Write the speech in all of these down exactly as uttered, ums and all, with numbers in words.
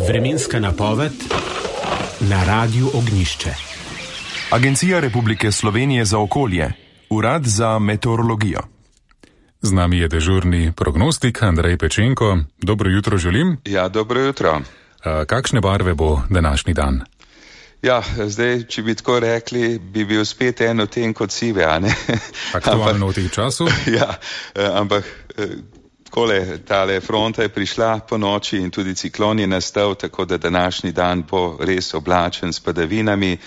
Vremenska napoved na Radiu Ognjišče. Agencija Republike Slovenije za okolje, Urad za meteorologijo. Z nami je dežurni prognostik Andrej Pečenko. Dobro jutro želim. Ja, dobro jutro. A, kakšne barve bo današnji dan? Ja, zdaj, če bi tako rekli, bi bil spet eno tem kot sive, a ne? Aktualno v teh času? Ja, ampak takole, tale fronta je prišla po noči in tudi ciklon je nastal, tako da današnji dan bo res oblačen s padavinami.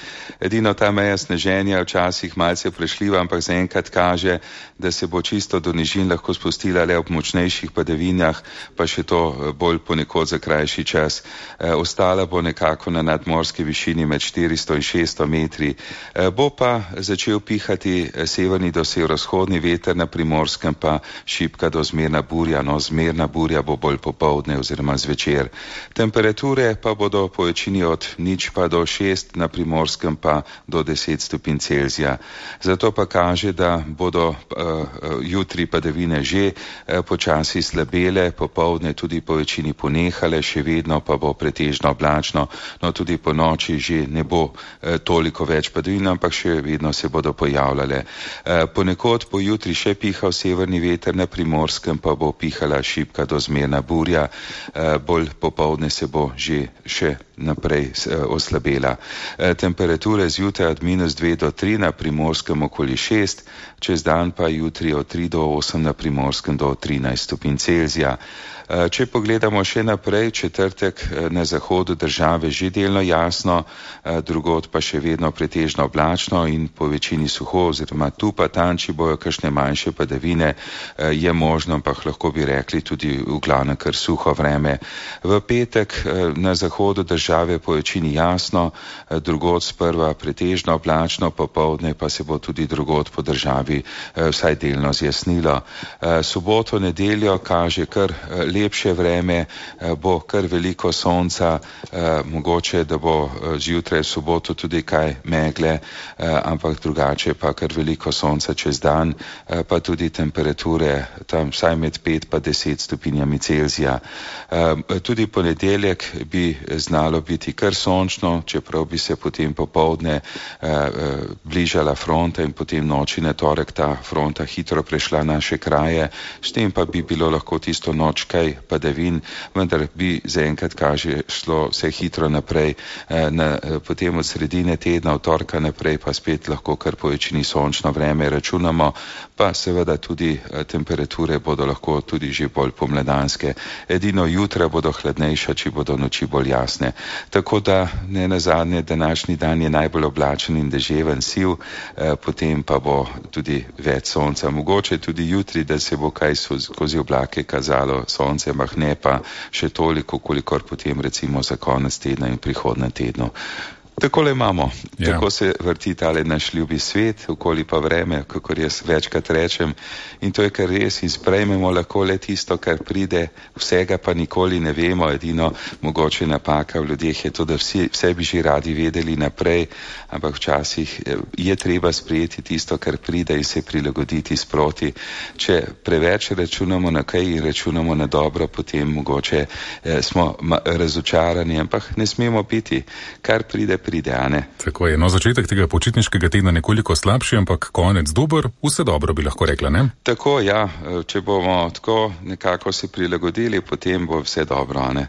Edino ta meja sneženja včasih malce prešljiva, ampak zaenkrat kaže, da se bo čisto do nižin lahko spustila le ob močnejših padavinah, pa še to bolj ponekod za krajši čas. E, ostala bo nekako na nadmorski višini med štiristo in šeststo metri. E, bo pa začel pihati severni do severovzhodni veter, na Primorskem pa šibka do zmerna burja. No, zmerna burja bo bolj popoldne oziroma zvečer. Temperature pa bodo po večini od nič pa do šest, na Primorskem pa do deset stopinj Celzija. Zato pa kaže, da bodo uh, jutri padavine že uh, počasi slabele, popoldne tudi po večini ponehale, še vedno pa bo pretežno oblačno, no tudi po noči že ne bo uh, toliko več padavin, ampak še vedno se bodo pojavljale. Uh, ponekod bo jutri še pihal severni veter, na Primorskem pa bo pihala šibka do zmerna burja, bolj popoldne se bo že še naprej oslabela. Temperature zjutraj od minus dve do tri, na Primorskem okoli šest, čez dan pa jutri od tri do osem, na Primorskem do trinajst stopinj Celzija. Če pogledamo še naprej, četrtek na zahodu države že delno jasno, drugod pa še vedno pretežno oblačno in po večini suho, oziroma tu pa tam, če bojo kakšne manjše padavine, je možno, ampak lahko bi rekli tudi v glavnem kar suho vreme. V petek na zahodu države po večini jasno, drugod sprva pretežno oblačno, popoldne pa se bo tudi drugod po državi vsaj delno zjasnilo. Soboto, nedeljo kaže kar lepše vreme, bo kar veliko sonca, mogoče, da bo zjutraj v soboto tudi kaj megle, ampak drugače pa kar veliko sonca čez dan, pa tudi temperature tam vsaj med pet pa deset stopinjami Celzija. Tudi ponedeljek bi znalo biti kar sončno, čeprav bi se potem popoldne bližala fronta in potem noči na torek ta fronta hitro prešla naše kraje, s tem pa bi bilo lahko tisto noč kaj padavin, vendar bi zaenkrat kaže šlo vse hitro naprej, na, potem od sredine tedna, od torka naprej pa spet lahko kar po večini sončno vreme računamo, pa seveda tudi temperature bodo lahko tudi že bolj pomladanske. Edino jutra bodo hladnejša, če bodo noči bolj jasne. Tako da ne nazadnje, današnji dan je najbolj oblačen in deževen, siv, potem pa bo tudi več sonca. Mogoče tudi jutri, da se bo kaj skozi oblake kazalo sonce, ampak ne pa še toliko, kolikor potem recimo za konec tedna in prihodnjem tednu. Takole imamo, ja. Tako se vrti tale naš ljubi svet, okoli pa vreme, kakor jaz večkrat rečem, in to je kar res, in sprejmemo lahko le tisto, kar pride, vsega pa nikoli ne vemo, edino mogoče napaka v ljudeh je to, da vsi, vse bi že radi vedeli naprej, ampak včasih je treba sprejeti tisto, kar pride in se prilagoditi sproti. Če preveč računamo na kaj in računamo na dobro, potem mogoče eh, smo razočarani, ampak ne smemo biti, kar pride, pride. Pride, Tako je, no začetek tega počitniškega tedna nekoliko slabši, ampak konec dober, vse dobro bi lahko rekla, ne? Tako, ja, če bomo tako nekako se prilagodili, potem bo vse dobro, ne?